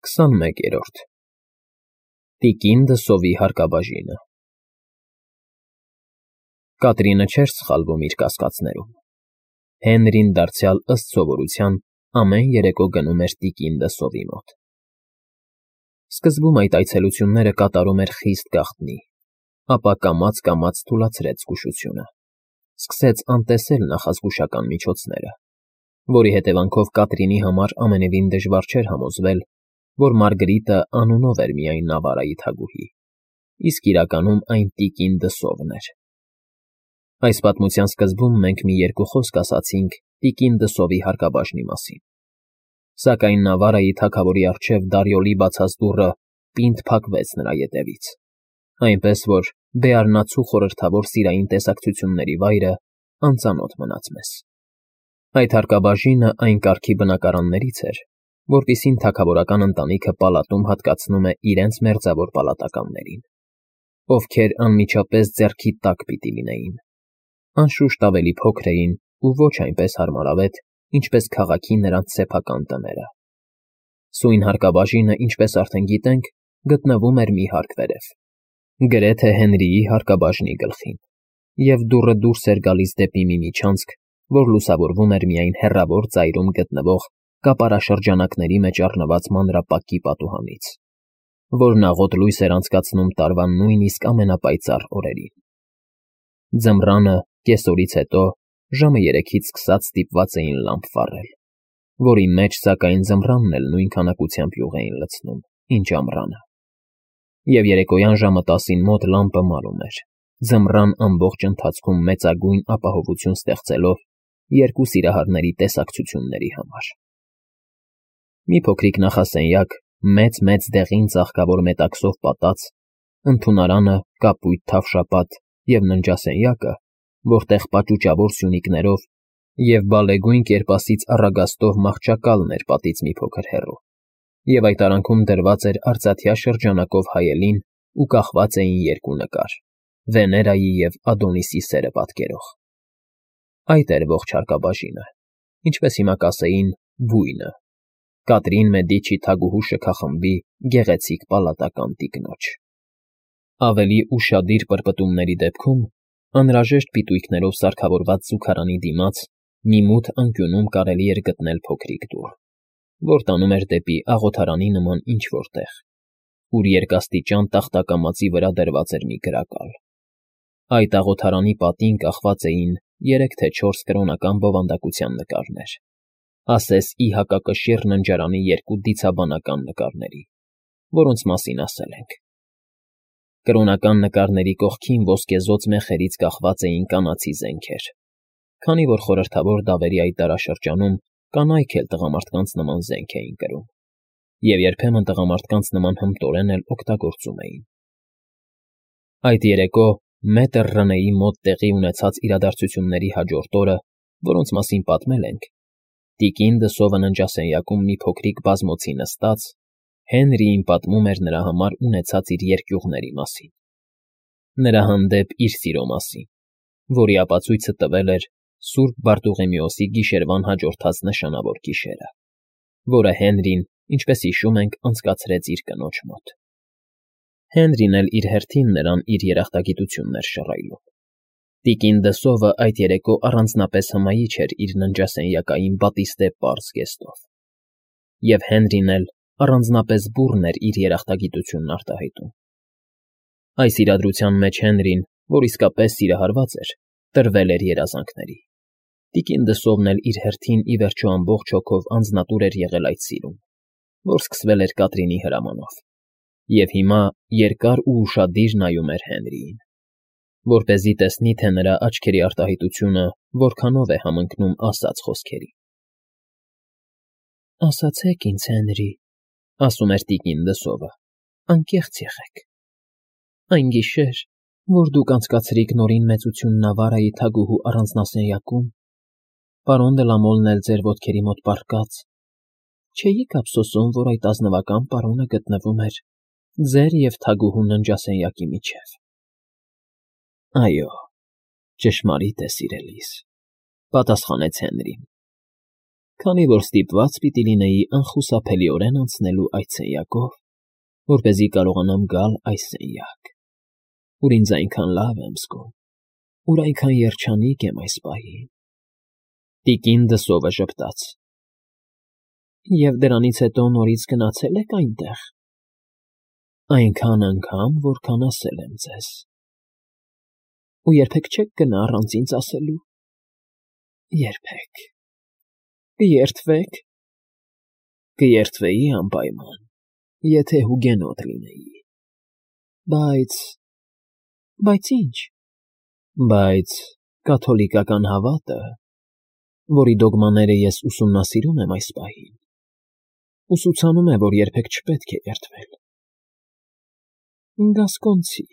21-րդ Տիկին դսովի հարկաբաժինը Կատրինը չէր սխալվում իր կասկածներում։ Հենրին դարձյալ ըստ սովորության ամեն երեկո գնում էր տիկին դսովի մոտ։ Սկզբում այդ այցելությունները կատարում էր խիստ գաղտնի, ապա կամաց թուլացրեց զգուշությունը, սկսեց անտեսել նախազգուշական միջոցները, որի հետևանքով Կատրինի համար ամենևին դժվար չէր համոզվել, որ Մարգրիտը անունով էր միայն Նավարայի թագուհի, իսկ իրականում այն տիկին դսովն էր։ Այս պատմության սկզբում մենք մի երկու խոսք ասացինք տիկին դսովի հարկաբաժնի մասին, սակայն Նավարայի թագավորի առջև Դարիոլի բացած դուռը պինդ փակվեց նրա ետևից, այնպես որ բեառնացու խորհրդավոր սիրային տեսակցությունների վայրը անծանոթ մնաց մեզ։ Այդ հարկաբաժինը այն կարգի բնակարաններից էր, որտիսին թագավորական ընտանիքը պալատում հատկացնում է իրենց մերձավոր պալատականներին, ովքեր անմիջապես ձեռքի տակ պիտի լինեին, անշուշտ ավելի փոքր էին ու ոչ այնպես հարմարավետ, ինչպես քաղաքի նրանց սեփական տները։ Սույն հարկաբաժինը, ինչպես արդեն գիտենք, գտնվում էր մի հարկ վերև, գրեթե Հենրիի հարկաբաժնի գլխին, և դուռը դուրս էր գալիս դեպի մի միջանցք, որ լուսավորվում էր միայն հեռավոր ծայրում գտնվող կապարաշրջանակների մեջ առնված մանրապակի պատուհանից, որն աղոտ լույս էր անցկացնում տարվա նույնիսկ ամենապայծառ օրերին։ Ձմռանը, կեսօրից հետո, ժամը 3-ից սկսած ստիպված էին լամպ վառել, որի մեջ, սակայն, ձմռանն էլ նույն քանակությամբ յուղ էին լցնում, ինչ ամռանը։ Եվ երեկոյան ժամը 10-ին մոտ լամպը մարում էր, ձմռան ամբողջ ընթացքում մեծագույն ապահովություն ստեղծելով երկու սիրահարների տեսակցությունների համար։ Մի փոքրիկ նախասենյակ, մեծ դեղին ծաղկավոր մետաքսով պատած, ընդունարանը, կապույտ թավշապատ և ննջասենյակը, որտեղ պաճուճավոր սյունիկներով և բալեգույն կերպասից առագաստով մահճակալն էր պատից մի փոքր հեռու, և այդ արանքում դրված էր արծաթյա շրջանակով հայելին ու կախված էին երկու նկար՝ Վեներայի և Ադոնիսի սերը պատկերող։ Այդ էր ողջ հարկաբաժինը, ինչպես հիմա կասեին, բույնը, Կատրին Մեդիչի թագուհու շքախմբի գեղեցիկ պալատական տիկնոջ։ Ավելի ուշադիր պրպտումների դեպքում անհրաժեշտ պիտույքներով սարքավորված զուգարանի դիմաց մի մութ անկյունում կարելի էր գտնել փոքրիկ դուռ, որ տանում էր դեպի աղոթարանի նման ինչ֊որ տեղ, ուր երկաստիճան տախտակամածի վրա դրված էր մի գրակալ։ Այդ աղոթարանի պատին կախված էին 3 թե 4 կրոնական բովանդակության նկարներ, ասես ի հակակշիռ ննջարանի 2 դիցաբանական նկարների, որոնց մասին ասել ենք։ Կրոնական նկարների կողքին ոսկեզօծ մեխերից կախված էին կանացի զենքեր, քանի որ խորհրդավոր դավերի այդ դարաշրջանում կանայք էլ տղամարդկանց նման զենք էին կրում, և երբեմն տղամարդկանց նման հմտորեն էլ օգտագործում էին։ Այդ երեկո մետր Ռնեի մոտ տեղի ունեցած իրադարձությունների հաջորդ օրը, որոնց մասին պատմել ենք, տիկին դսովը ննջասենյակում մի փոքրիկ բազմոցի նստած, Հենրիին պատմում էր նրա համար ունեցած իր երկյուղների մասին, նրա հանդեպ իր սիրո մասին, որի ապացույցը տվել էր Սուրբ Բարտուղեմեոսի գիշերվան հաջորդած նշանավոր գիշերը, որը Հենրին, ինչպես հիշում ենք, անցկացրեց իր կնոջ մոտ։ Հենրին էլ իր հերթին նրան իր երախտագիտությունն էր շռայլում։ Տիկին դսովը այդ երեկո առանձնապես հմայիչ էր իր ննջասենյակային բատիստե պարզ զգեստով, և Հենրին էլ առանձնապես բուռն էր իր երախտագիտությունն արտահայտում։ Այս իրադրության մեջ Հենրին, որ իսկապես սիրահարված էր, տրվել էր երազանքների։ Տիկին դսովն էլ իր հերթին ի վերջո ամբողջ հոգով անձնատուր էր եղել այդ սիրուն, որ սկսվել էր Կատրինի հրամանով, և հիմա երկար ու ուշադիր նայում էր Հենրիին, որպեսզի տեսնի, թե նրա աչքերի արտահայտությունը որքանով է համընկնում ասած խոսքերին։ «Ասացեք ինձ, Հենրի», ասում էր տիկին դսովը, «անկեղծ եղեք։ Այն գիշեր, որ դուք անցկացրիք Նորին Մեծություն Նավարայի թագուհու առանձնասենյակում, պարոն դե Լա Մոլն էլ ձեր ոտքերի մոտ պառկած, չէի՞ք ափսոսում, որ այդ ազնվական պարոնը գտնվում էր ձեր և թագուհու ննջասենյակի միջև»։ «Այո, ճշմարիտ է, սիրելիս», պատասխանեց Հենրին։ քանի որ ստիպված պիտի լինեի անխուսափելիորեն անցնելու այդ սենյակով, որպեսզի կարողանամ գալ այս սենյակ, ուր ինձ այնքան լավ եմ զգում, ուր այնքան երջանիկ եմ այս պահին։ Տիկին Դսովը ժպտաց. Եվ դրանից հետո նորից գնացել եք այնտեղ։ Այնքան անգամ, որքան ասել եմ ձեզ։ Ու երբեք չեք գնա առանց ինձ ասելու։ Երբեք։ Կերթվեք։ Կերթվեի անպայման, եթե հուգենոտ լինեի։ Բայց ինչ։ Բայց կաթոլիկական հավատը, որի դոգմաները ես ուսումնասիրում եմ այս պահին, ուսուցանում է, որ երբեք չպետք է երթվել։ Գասկոնցի,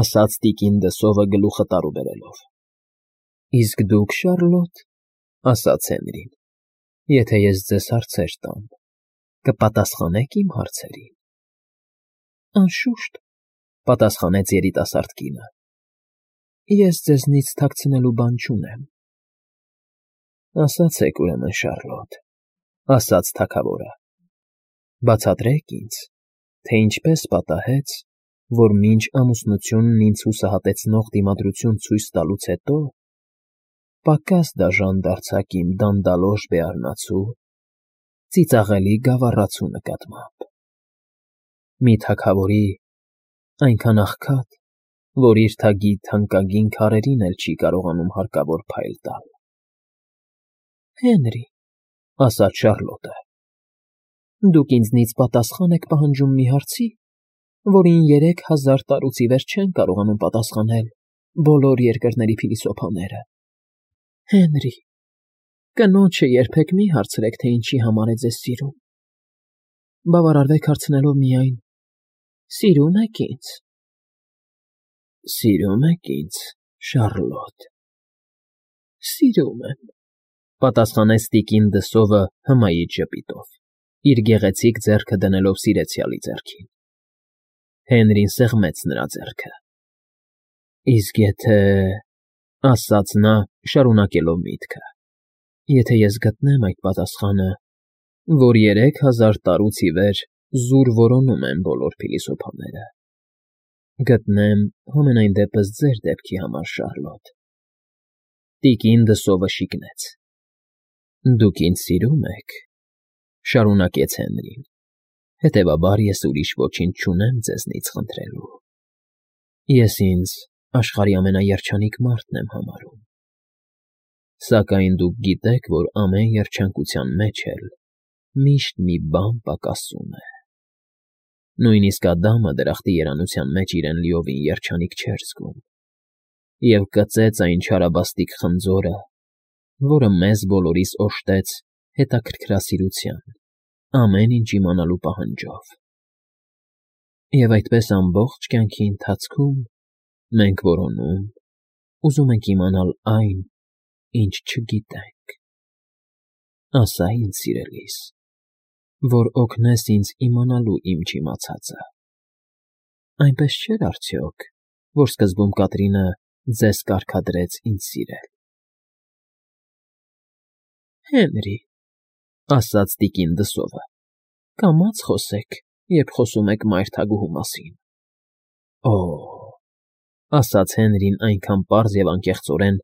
ասաց տիկին Դսովը գլուխը տարուբերելով։ Իսկ դուք, Շարլոտ, ասաց Հենրին, եթե ես ձեզ հարցեր տամ, կպատասխանեք իմ հարցերին։ Անշուշտ, պատասխանեց երիտասարդ կինը։ Ես ձեզնից թաքցնելու բան չունեմ։ Ասացեք ուրեմն, Շարլոտ, ասաց թագավորը, բացատրեք ինձ, թե ինչպես պատահեց, որ մինչ ամուսնությունն ինձ հուսահատեցնող դիմադրություն ցույց տալուց հետո պակաս դաժան դարձաք իմ դանդալոշ բեառնացու, ծիծաղելի գավառացու նկատմամբ։ Մի թագավորի այնքան աղքատ, որ իր թագի թանկագին քարերին էլ չի կարողանում հարկավոր փայլ տալ։ Հենրի, ասաց Շարլոտը, դուք ինձնից պատասխան եք պահանջում մի հարցի, որին 3000 տարուց ի վեր չեն կարողանում պատասխանել բոլոր երկրների փիլիսոփաները։ Հենրի, կնոջը երբեք մի հարցրեք, թե ինչի համար է ձեզ սիրում։ Բավարարվեք հարցնելով միայն. Սիրո՞ւմ եք ինձ։ Սիրո՞ւմ եք ինձ, Շարլոտ։ Սիրում եմ, պատասխանեց տիկին Դսովը հմայիչ ժպիտով, իր գեղեցիկ ձեռքը դնելով սիրեցյալի ձեռքին։ Հենրին սեղմեց նրա ձեռքը։ Իսկ եթե, ասաց նա, շարունակելով միտքը, եթե ես գտնեմ այդ պատասխանը, որ 3000 տարուց ի վեր զուր որոնում են բոլոր փիլիսոփաները, գտնեմ համենայն դեպս ձեր դեպքի համար, Շարլոտ։ Տիկին Դսովը շիկնեց։ Դուք ինձ սիրում եք, շարունակեց Հենրին, հետևաբար ես ուրիշ ոչինչ չունեմ ձեզնից խնդրելու։ Ես ինձ աշխարհի ամենաերջանիկ մարդն եմ համարում։ Սակայն դուք գիտեք, որ ամեն երջանկության մեջ էլ միշտ մի բան պակասում է։ Նույնիսկ Ադամը դրախտի երանության մեջ իրեն լիովին երջանիկ չէր զգում, և կծեց այն չարաբաստիկ խնձորը, որը մեզ բոլորիս օժտեց հետաքրքրասիրության, ամեն ինչ իմանալու պահանջով։ Եվ այդպես ամբողջ կյանքի ընթացքում մենք որոնում, ուզում ենք իմանալ այն, ինչ չգիտենք։ Ասա ինձ, սիրելիս, որ օգնես ինձ իմանալու իմ չիմացածը։ Այնպես չէր արդյոք, որ սկզբում Կատրինը ձեզ կարգադրեց ինձ սիրել։ Հենրի, ասաց տիկին Դսովը, կամաց խոսեք, երբ խոսում եք մայր թագուհու մասին։ Օ, ասաց Հենրին այնքան պարզ և անկեղծորեն,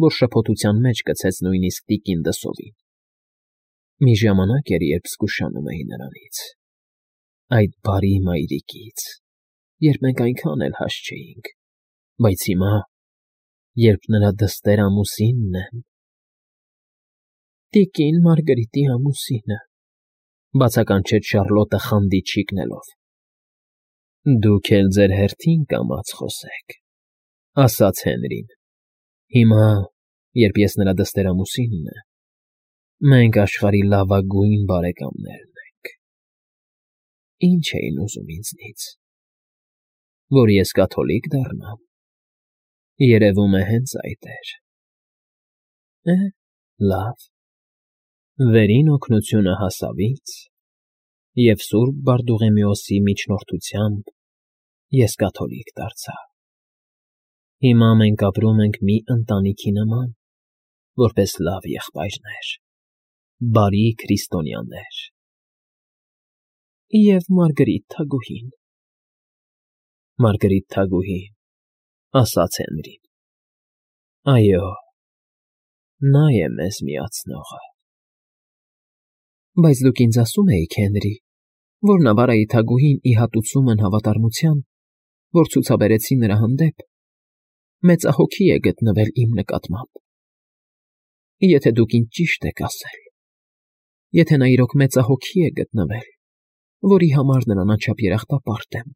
որ շփոթության մեջ գցեց նույնիսկ տիկին Դսովին։ Մի ժամանակ էր, երբ զգուշանում էի նրանից, այդ բարի մայրիկից, երբ մենք այնքան էլ հաստ չէինք, բայց հիմա, երբ նրա դստեր ամուսինն եմ… Տիկին Մարգարիտի ամուսինը, բացականչեց Շարլոտը խանդից շիկնելով։ Դուք էլ ձեր հերթին կամաց խոսեք, ասաց Հենրին։ Հիմա, երբ ես նրա դստեր ամուսինն եմ, մենք աշխարհի լավագույն բարեկամներն ենք։ Ինչ էին ուզում ինձնից, որ ես կաթոլիկ դառնամ։ Երևում է հենց այդ էր։ Լավ։ Վերին օգնությունը հասավից, և Սուրբ Բարդուղիմեոսի միջնորդությամբ ես կաթոլիկ դարձա։ Հիմա մենք ապրում ենք մի ընտանիքի նման, որպես լավ եղբայրներ։ բարի քրիստոնյաներ։ Եվ Մարգարիտ թագուհին։ Մարգարիտ թագուհին, ասաց Հենրին։ Այո, նա է մեզ միացնողը։ Բայց դուք ինձ ասում էիք, Հենրի, որ Նավարայի թագուհին ի հատուցում են հավատարմության, որ ցուցաբերեցի նրա հանդեպ, մեծահոգի է գտնվել իմ նկատմամբ։ Եթե դուք ինձ ճիշտ եք ասել, եթե նա իրոք մեծահոգի է գտնվել, որի համար նրան անչափ երախտապարտ եմ,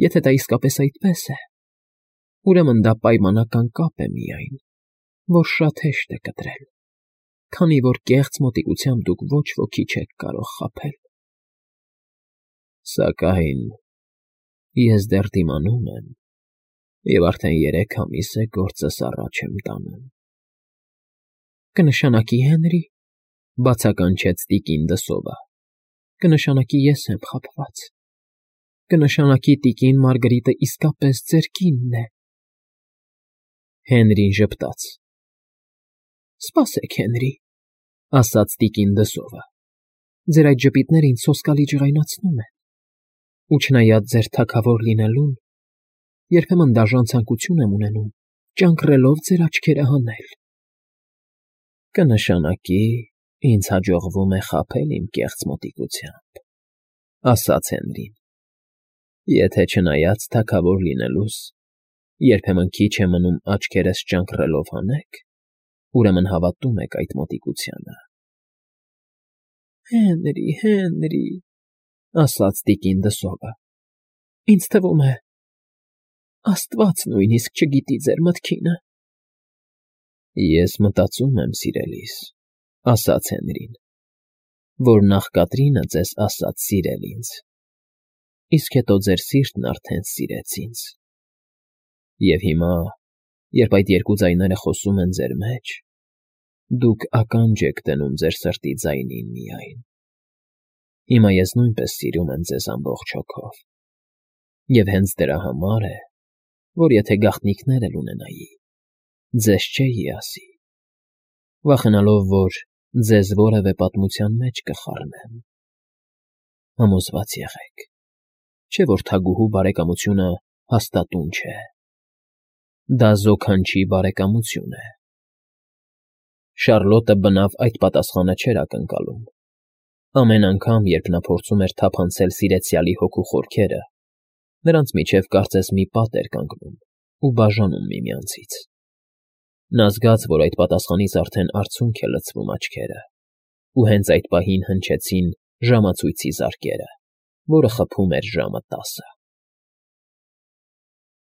եթե դա իսկապես այդպես է, ուրեմն դա պայմանական կապ է միայն, որ շատ հեշտ է կտրել, քանի որ կեղծ մոտիկությամբ դուք ոչ ոքի չեք կարող խաբել։ Սակայն ես դեռ դիմանում եմ և արդեն 3 ամիս է գործս առաջ եմ տանում։ Կնշանակի, Հենրի, բացականչեց տիկին Դսովը, կնշանակի ես եմ խաբված, կնշանակի տիկին Մարգարիտը իսկապես ձեր կինն է։ Հենրին ժպտաց։ Սպասեք, Հենրի, ասաց տիկին Դսովը, ձեր այդ ժպիտները ինձ սոսկալի ջղայնացնում են, ու չնայած ձեր թագավոր լինելուն, երբեմն դաժան ցանկություն եմ ունենում ճանկռելով ձեր աչքերը հանել։ Կնշանակի, ինձ հաջողվում է խաբել իմ կեղծ մոտիկությամբ, ասաց Հենրին։ Եթե չնայած թագավոր լինելուս, երբեմն քիչ է մնում աչքերս ճանկռելով հանեք, ուրեմն հավատում եք այդ մոտիկությանը։ Հենրի, ասաց տիկին Դսովը, ինձ թվում է, Աստված նույնիսկ չգիտի ձեր մտքինը։ Ես մտածում եմ, սիրելիս, ասաց Հենրին, որ նախ Կատրինը ձեզ ասաց սիրել ինձ, իսկ հետո ձեր սիրտն արդեն սիրեց ինձ։ Եվ հիմա, երբ այդ երկու ձայները խոսում են ձեր մեջ, դուք ականջ եք դնում ձեր սրտի ձայնին միայն։ Հիմա ես նույնպես սիրում եմ ձեզ ամբողջ հոգով։ Եվ հենց դրա համար է, որ եթե գաղտնիքներ էլ ունենայի, ձեզ չէի ասի, վախենալով, որ ձեզ որևէ պատմության մեջ կխառնեմ։ Համոզված եղեք, չէ՞ որ թագուհու բարեկամությունը հաստատուն չէ։ Դա զոքանչի բարեկամություն է։ Շարլոտը բնավ այդ պատասխանը չէր ակնկալում։ Ամեն անգամ, երբ նա փորձում էր թափանցել սիրեցյալի հոգու խորքերը, նրանց միջև կարծես մի պատ էր կանգնում ու բաժանում միմյանցից։ Նա զգաց, որ այդ պատասխանից արդեն արցունք է լցվում աչքերը, ու հենց այդ պահին հնչեցին ժամացույցի զարկերը, որը խփում էր ժամը 10-ը։